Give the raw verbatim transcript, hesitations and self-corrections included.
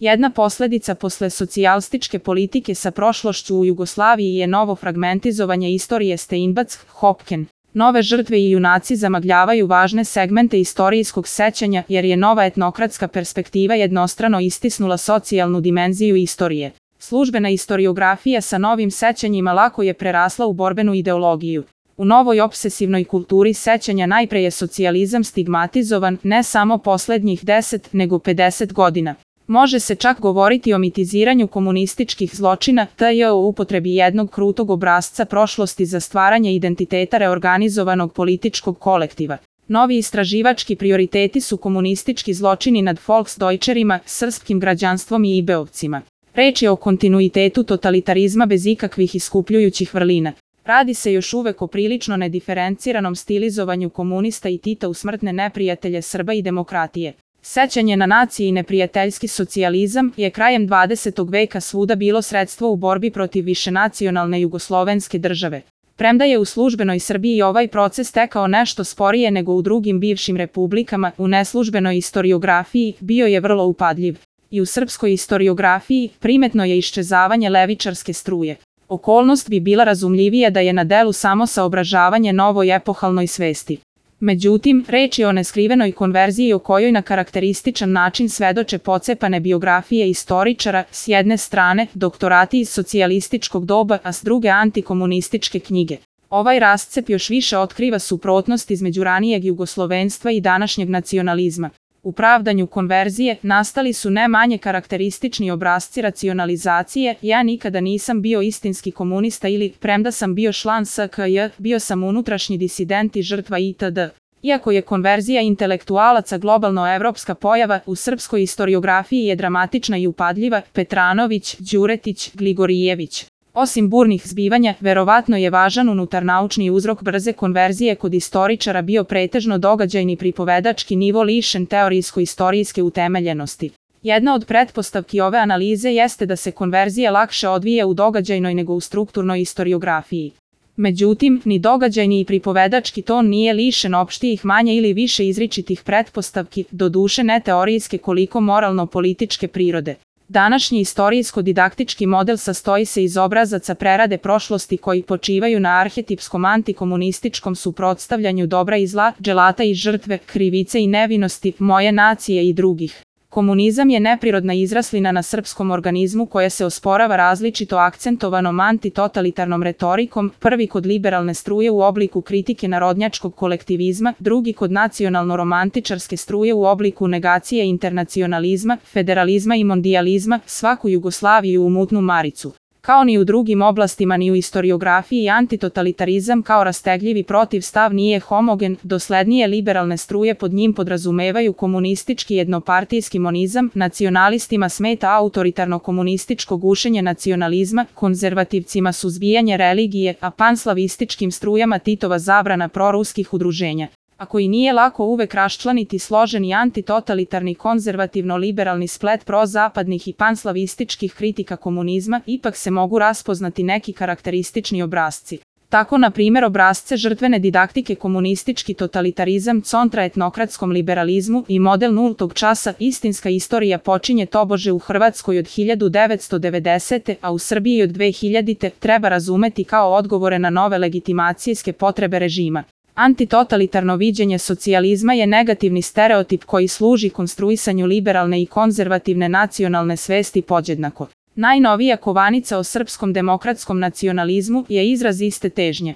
Jedna posledica posle socijalističke politike sa prošlošću u Jugoslaviji je novo fragmentizovanje istorije Steinbatz-Hopken. Nove žrtve i junaci zamagljavaju važne segmente istorijskog sećanja jer je nova etnokratska perspektiva jednostrano istisnula socijalnu dimenziju istorije. Službena istoriografija sa novim sećanjima lako je prerasla u borbenu ideologiju. U novoj opsesivnoj kulturi sećanja najpre je socijalizam stigmatizovan ne samo poslednjih deset nego pedeset godina. Može se čak govoriti o mitiziranju komunističkih zločina te o upotrebi jednog krutog obrasca prošlosti za stvaranje identiteta reorganizovanog političkog kolektiva. Novi istraživački prioriteti su komunistički zločini nad Volksdeutcherima, srpskim građanstvom i ibeovcima. Reč je o kontinuitetu totalitarizma bez ikakvih iskupljujućih vrlina. Radi se još uvek o prilično nediferenciranom stilizovanju komunista i Tita u smrtne neprijatelje Srba i demokratije. Sećanje na nacije i neprijateljski socijalizam je krajem dvadesetog veka svuda bilo sredstvo u borbi protiv višenacionalne jugoslovenske države. Premda je u službenoj Srbiji ovaj proces tekao nešto sporije nego u drugim bivšim republikama, u neslužbenoj istoriografiji bio je vrlo upadljiv. I u srpskoj istoriografiji primetno je iščezavanje levičarske struje. Okolnost bi bila razumljivija da je na delu samo saobražavanje novoj epohalnoj svesti. Međutim, reč je o neskrivenoj konverziji o kojoj na karakterističan način svedoče pocepane biografije istoričara, s jedne strane, doktorati iz socijalističkog doba, a s druge antikomunističke knjige. Ovaj rascep još više otkriva suprotnost između ranijeg jugoslovenstva i današnjeg nacionalizma. U pravdanju konverzije nastali su ne manje karakteristični obrasci racionalizacije. Ja nikada nisam bio istinski komunista ili, premda sam bio član S K J, bio sam unutrašnji disident i žrtva itd. Iako je konverzija intelektualaca globalno-evropska pojava, u srpskoj istoriografiji je dramatična i upadljiva. Petranović, Đuretić, Gligorijević. Osim burnih zbivanja, verovatno je važan unutarnaučni uzrok brze konverzije kod istoričara bio pretežno događajni pripovedački nivo lišen teorijsko-istorijske utemeljenosti. Jedna od pretpostavki ove analize jeste da se konverzija lakše odvija u događajnoj nego u strukturnoj istoriografiji. Međutim, ni događajni i pripovedački ton nije lišen opštijih manje ili više izričitih pretpostavki, doduše ne teorijske koliko moralno-političke prirode. Današnji istorijsko-didaktički model sastoji se iz obrazaca prerade prošlosti koji počivaju na arhetipskom antikomunističkom suprotstavljanju dobra i zla, dželata i žrtve, krivice i nevinosti, moje nacije i drugih. Komunizam je neprirodna izraslina na srpskom organizmu koja se osporava različito akcentovanom antitotalitarnom retorikom, prvi kod liberalne struje u obliku kritike narodnjačkog kolektivizma, drugi kod nacionalno-romantičarske struje u obliku negacije internacionalizma, federalizma i mondijalizma, svaku Jugoslaviju u mutnu maricu. Kao ni u drugim oblastima ni u istoriografiji antitotalitarizam kao rastegljivi protivstav nije homogen, doslednije liberalne struje pod njim podrazumevaju komunistički jednopartijski monizam, nacionalistima smeta autoritarno komunističko gušenje nacionalizma, konzervativcima suzbijanje religije, a panslavističkim strujama Titova zabrana proruskih udruženja. Ako i nije lako uvek raščlaniti složeni antitotalitarni konzervativno-liberalni splet prozapadnih i panslavističkih kritika komunizma, ipak se mogu raspoznati neki karakteristični obrasci. Tako, na primjer, obrasce žrtvene didaktike komunistički totalitarizam contra etnokratskom liberalizmu i model nultog časa istinska istorija počinje tobože u Hrvatskoj od hiljadu devetsto devedesete. a u Srbiji od dve hiljadite. treba razumeti kao odgovore na nove legitimacijske potrebe režima. Antitotalitarno viđenje socijalizma je negativni stereotip koji služi konstruisanju liberalne i konzervativne nacionalne svesti podjednako. Najnovija kovanica o srpskom demokratskom nacionalizmu je izraz iste težnje.